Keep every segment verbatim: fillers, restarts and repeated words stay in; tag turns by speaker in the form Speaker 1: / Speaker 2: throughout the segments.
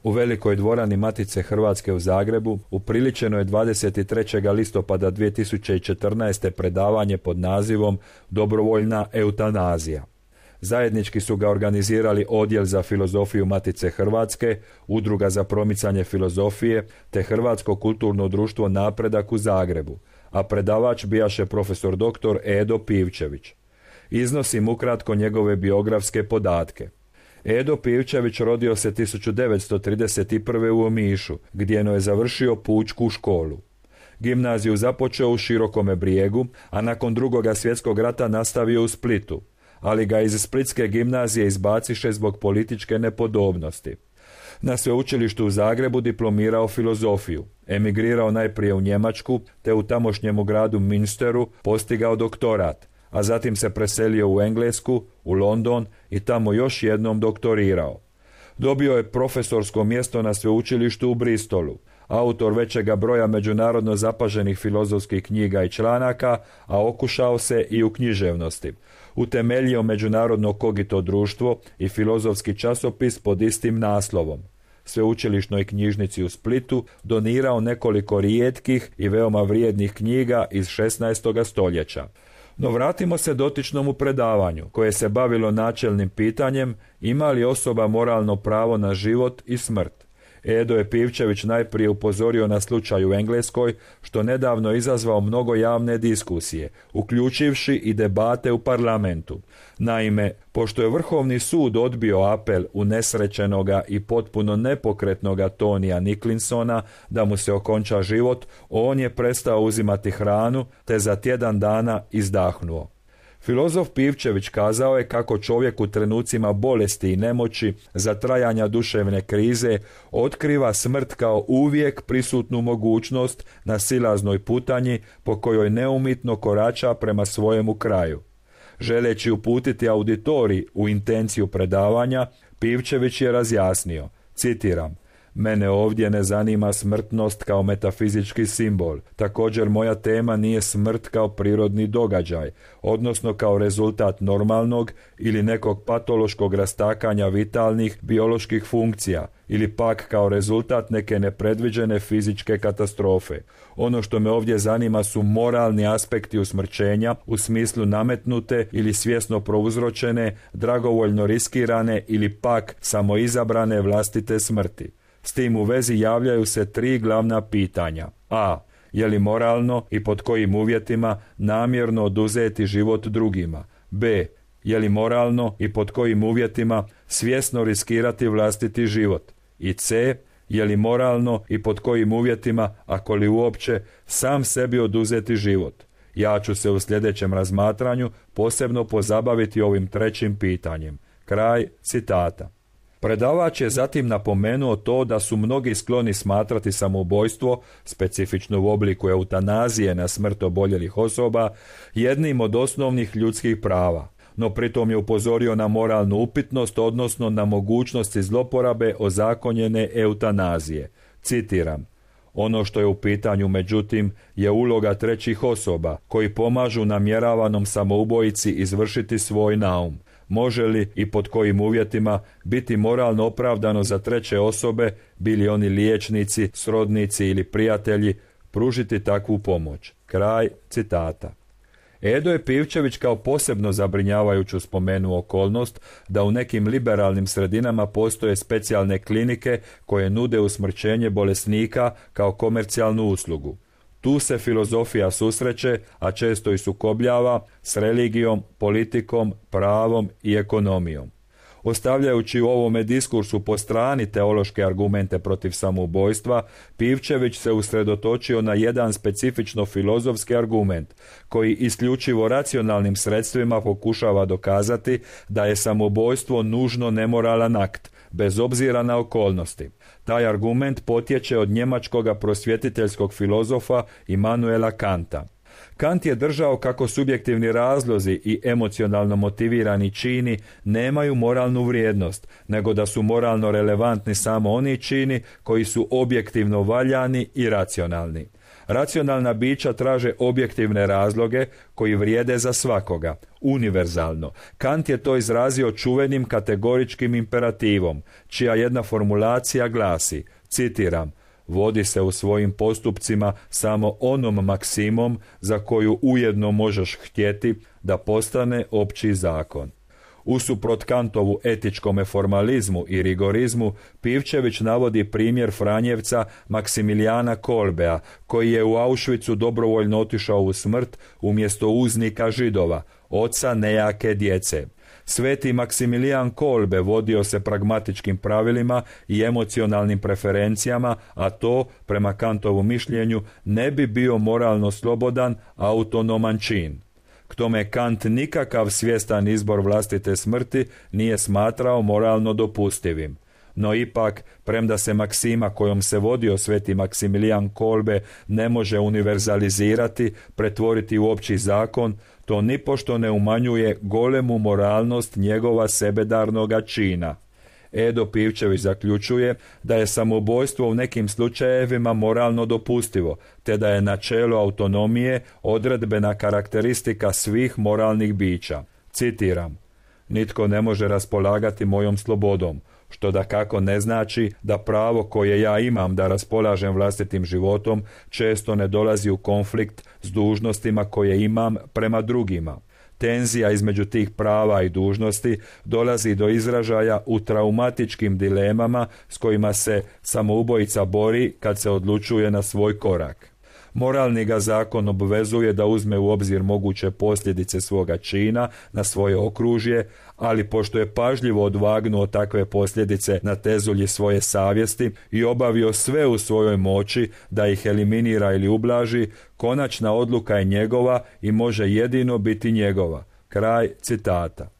Speaker 1: U velikoj dvorani Matice Hrvatske u Zagrebu upriličeno je dvadeset trećeg listopada dvije tisuće četrnaeste. predavanje pod nazivom Dobrovoljna eutanazija. Zajednički su ga organizirali Odjel za filozofiju Matice Hrvatske, Udruga za promicanje filozofije te Hrvatsko kulturno društvo Napredak u Zagrebu, a predavač bijaše profesor doktor Edo Pivčević. Iznosim ukratko njegove biografske podatke. Edo Pivčević rodio se tisuću devetsto trideset prve. u Omišu, gdje je završio pučku školu. Gimnaziju započeo u Širokome Brijegu, a nakon drugoga svjetskog rata nastavio u Splitu, ali ga iz Splitske gimnazije izbaciše zbog političke nepodobnosti. Na sveučilištu u Zagrebu diplomirao filozofiju, emigrirao najprije u Njemačku, te u tamošnjemu gradu Münsteru postigao doktorat, a zatim se preselio u Englesku, u London i tamo još jednom doktorirao. Dobio je profesorsko mjesto na sveučilištu u Bristolu, autor većega broja međunarodno zapaženih filozofskih knjiga i članaka, a okušao se i u književnosti. Utemeljio međunarodno Kogito društvo i filozofski časopis pod istim naslovom. Sveučilišnoj knjižnici u Splitu donirao nekoliko rijetkih i veoma vrijednih knjiga iz šesnaestoga stoljeća. No vratimo se dotičnom predavanju, koje se bavilo načelnim pitanjem ima li osoba moralno pravo na život i smrt. Edo je Pivčević najprije upozorio na slučaj u Engleskoj, što nedavno izazvao mnogo javne diskusije, uključivši i debate u parlamentu. Naime, pošto je Vrhovni sud odbio apel unesrećenoga i potpuno nepokretnoga Tonija Nicholsona da mu se okonča život, on je prestao uzimati hranu te za tjedan dana izdahnuo. Filozof Pivčević kazao je kako čovjek u trenucima bolesti i nemoći za trajanja duševne krize otkriva smrt kao uvijek prisutnu mogućnost na silaznoj putanji po kojoj neumitno korača prema svojemu kraju. Želeći uputiti auditorij u intenciju predavanja, Pivčević je razjasnio, citiram: "Mene ovdje ne zanima smrtnost kao metafizički simbol. Također moja tema nije smrt kao prirodni događaj, odnosno kao rezultat normalnog ili nekog patološkog rastakanja vitalnih bioloških funkcija ili pak kao rezultat neke nepredviđene fizičke katastrofe. Ono što me ovdje zanima su moralni aspekti usmrćenja u smislu nametnute ili svjesno prouzročene, dragovoljno riskirane ili pak samoizabrane vlastite smrti. S tim u vezi javljaju se tri glavna pitanja. A. Je li moralno i pod kojim uvjetima namjerno oduzeti život drugima? B. Je li moralno i pod kojim uvjetima svjesno riskirati vlastiti život? I C. Je li moralno i pod kojim uvjetima, ako li uopće, sam sebi oduzeti život? Ja ću se u sljedećem razmatranju posebno pozabaviti ovim trećim pitanjem." Kraj citata. Predavač je zatim napomenuo to da su mnogi skloni smatrati samoubojstvo, specifično u obliku eutanazije na smrt oboljelih osoba, jednim od osnovnih ljudskih prava, no pritom je upozorio na moralnu upitnost, odnosno na mogućnosti zloporabe ozakonjene eutanazije. Citiram: "Ono što je u pitanju, međutim, je uloga trećih osoba koji pomažu namjeravanom samoubojici izvršiti svoj naum. Može li i pod kojim uvjetima biti moralno opravdano za treće osobe, bili oni liječnici, srodnici ili prijatelji, pružiti takvu pomoć?" Kraj citata. Edo je Pivčević kao posebno zabrinjavajuću spomenuo okolnost da u nekim liberalnim sredinama postoje specijalne klinike koje nude usmrćenje bolesnika kao komercijalnu uslugu. Tu se filozofija susreće, a često i sukobljava, s religijom, politikom, pravom i ekonomijom. Ostavljajući u ovome diskursu po strani teološke argumente protiv samoubojstva, Pivčević se usredotočio na jedan specifično filozofski argument, koji isključivo racionalnim sredstvima pokušava dokazati da je samoubojstvo nužno nemoralan akt, bez obzira na okolnosti. Taj argument potječe od njemačkoga prosvjetiteljskog filozofa Immanuela Kanta. Kant je držao kako subjektivni razlozi i emocionalno motivirani čini nemaju moralnu vrijednost, nego da su moralno relevantni samo oni čini koji su objektivno valjani i racionalni. Racionalna bića traže objektivne razloge koji vrijede za svakoga, univerzalno. Kant je to izrazio čuvenim kategoričkim imperativom, čija jedna formulacija glasi, citiram, vodi se u svojim postupcima samo onom maksimom za koju ujedno možeš htjeti da postane opći zakon. Usuprot Kantovu etičkome formalizmu i rigorizmu, Pivčević navodi primjer Franjevca Maksimilijana Kolbea, koji je u Auschwitzu dobrovoljno otišao u smrt umjesto uznika Židova, oca nejake djece. Sveti Maksimilijan Kolbe vodio se pragmatičkim pravilima i emocionalnim preferencijama, a to, prema Kantovu mišljenju, ne bi bio moralno slobodan, autonoman čin. K tome Kant nikakav svjestan izbor vlastite smrti nije smatrao moralno dopustivim. No ipak, premda se maksima kojom se vodio sveti Maksimilijan Kolbe ne može univerzalizirati, pretvoriti u opći zakon, to nipošto ne umanjuje golemu moralnost njegova sebedarnoga čina. Edo Pivčević zaključuje da je samoubojstvo u nekim slučajevima moralno dopustivo, te da je načelo autonomije odredbena karakteristika svih moralnih bića. Citiram, nitko ne može raspolagati mojom slobodom, što dakako ne znači da pravo koje ja imam da raspolažem vlastitim životom često ne dolazi u konflikt s dužnostima koje imam prema drugima. Tenzija između tih prava i dužnosti dolazi do izražaja u traumatičkim dilemama s kojima se samoubojica bori kad se odlučuje na svoj korak. Moralni ga zakon obvezuje da uzme u obzir moguće posljedice svoga čina na svoje okružje, ali pošto je pažljivo odvagnuo takve posljedice na tezulji svoje savjesti i obavio sve u svojoj moći da ih eliminira ili ublaži, konačna odluka je njegova i može jedino biti njegova. Kraj citata.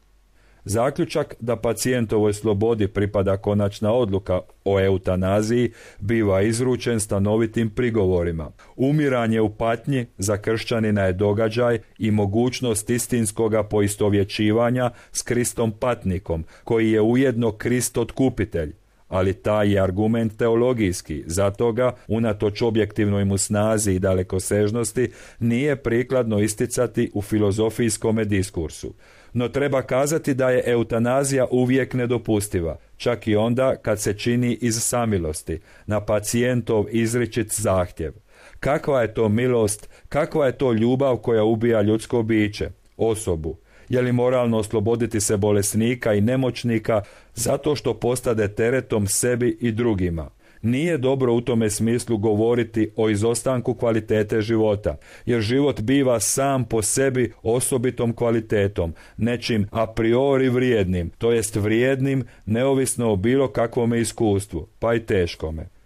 Speaker 1: Zaključak da pacijentovoj slobodi pripada konačna odluka o eutanaziji biva izručen stanovitim prigovorima. Umiranje u patnji za kršćanina je događaj i mogućnost istinskoga poistovjećivanja s Kristom patnikom, koji je ujedno Krist otkupitelj. Ali taj je argument teologijski, zato ga, unatoč objektivnoj mu snazi i dalekosežnosti, nije prikladno isticati u filozofijskome diskursu. No treba kazati da je eutanazija uvijek nedopustiva, čak i onda kad se čini iz samilosti, na pacijentov izričit zahtjev. Kakva je to milost, kakva je to ljubav koja ubija ljudsko biće, osobu? Je li moralno osloboditi se bolesnika i nemoćnika zato što postade teretom sebi i drugima? Nije dobro u tome smislu govoriti o izostanku kvalitete života, jer život biva sam po sebi osobitom kvalitetom, nečim a priori vrijednim, to jest vrijednim neovisno o bilo kakvome iskustvu, pa i teškome.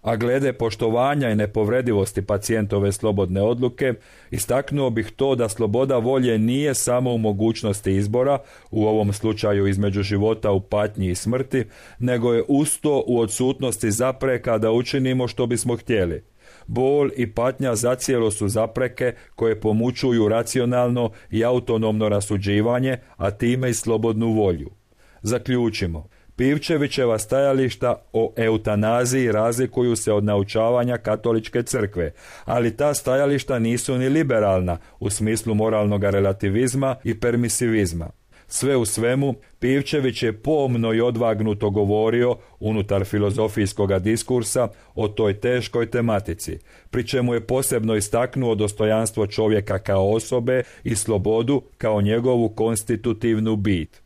Speaker 1: A glede poštovanja i nepovredivosti pacijentove slobodne odluke, istaknuo bih to da sloboda volje nije samo u mogućnosti izbora, u ovom slučaju između života u patnji i smrti, nego je usto u odsutnosti zapreka da učinimo što bismo htjeli. Bol i patnja zacijelo su zapreke koje pomučuju racionalno i autonomno rasuđivanje, a time i slobodnu volju. Zaključimo. Pivčevićeva stajališta o eutanaziji razlikuju se od naučavanja katoličke crkve, ali ta stajališta nisu ni liberalna u smislu moralnog relativizma i permisivizma. Sve u svemu, Pivčević je pomno i odvagnuto govorio unutar filozofijskoga diskursa o toj teškoj tematici, pri čemu je posebno istaknuo dostojanstvo čovjeka kao osobe i slobodu kao njegovu konstitutivnu bit.